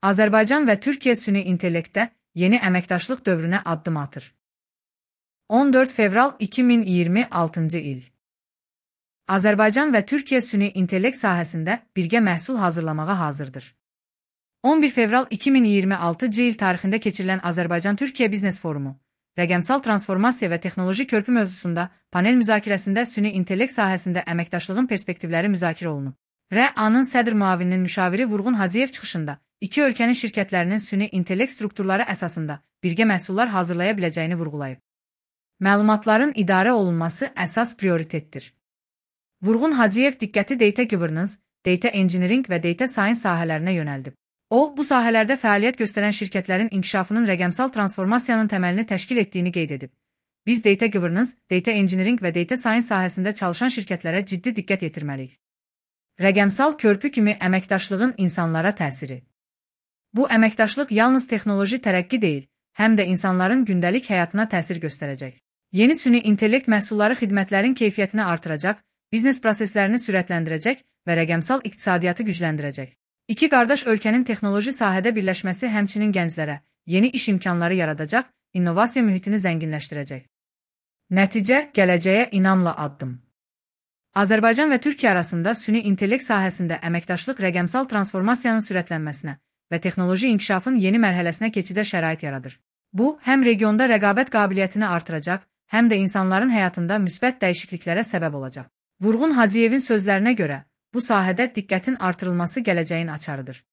Azərbaycan və Türkiyə süni intellektdə yeni əməkdaşlıq dövrünə addım atır. 14 fevral 2026-cı il. Azərbaycan və Türkiyə süni intellekt sahəsində birgə məhsul hazırlamağa hazırdır. 11 fevral 2026-cı il tarixində keçirilən Azərbaycan-Türkiyə Biznes Forumu, rəqəmsal transformasiya və texnoloji körpü mövzusunda panel müzakirəsində süni intellekt sahəsində əməkdaşlığın perspektivləri müzakirə olunub. REA-nın sədr müavininin müşaviri Vurğun Hacıyev çıxışında iki ölkənin şirkətlərinin süni intellekt strukturları əsasında birgə məhsullar hazırlaya biləcəyini vurğulayıb. Məlumatların idarə olunması əsas prioritetdir. Vurğun Hacıyev diqqəti data governance, data engineering və data science sahələrinə yönəldib. O, bu sahələrdə fəaliyyət göstərən şirkətlərin inkişafının rəqəmsal transformasiyanın təməlini təşkil etdiyini qeyd edib. Biz data governance, data engineering və data science sahəsində çalışan şirkətlərə ciddi diqqət yetirməliyik. Rəqəmsal körpü kimi əməkdaşlığın insanlara təsiri. Bu əməkdaşlıq yalnız texnoloji tərəqqi deyil, həm də insanların gündəlik həyatına təsir göstərəcək. Yeni süni intellekt məhsulları xidmətlərin keyfiyyətini artıracaq, biznes proseslərini sürətləndirəcək və rəqəmsal iqtisadiyyatı gücləndirəcək. İki qardaş ölkənin texnoloji sahədə birləşməsi həmçinin gənclərə yeni iş imkanları yaradacaq, innovasiya mühitini zənginləşdirəcək. Nəticə, gələcəyə inamla addım. Azərbaycan və Türkiyə arasında süni intellekt sahəsində əməkdaşlıq rəqəmsal transformasiyanın sürətlənməsinə və texnoloji inkişafın yeni mərhələsinə keçidə şərait yaradır. Bu, həm regionda rəqabət qabiliyyətini artıracaq, həm də insanların həyatında müsbət dəyişikliklərə səbəb olacaq. Vurğun Hacıyevin sözlərinə görə, bu sahədə diqqətin artırılması gələcəyin açarıdır.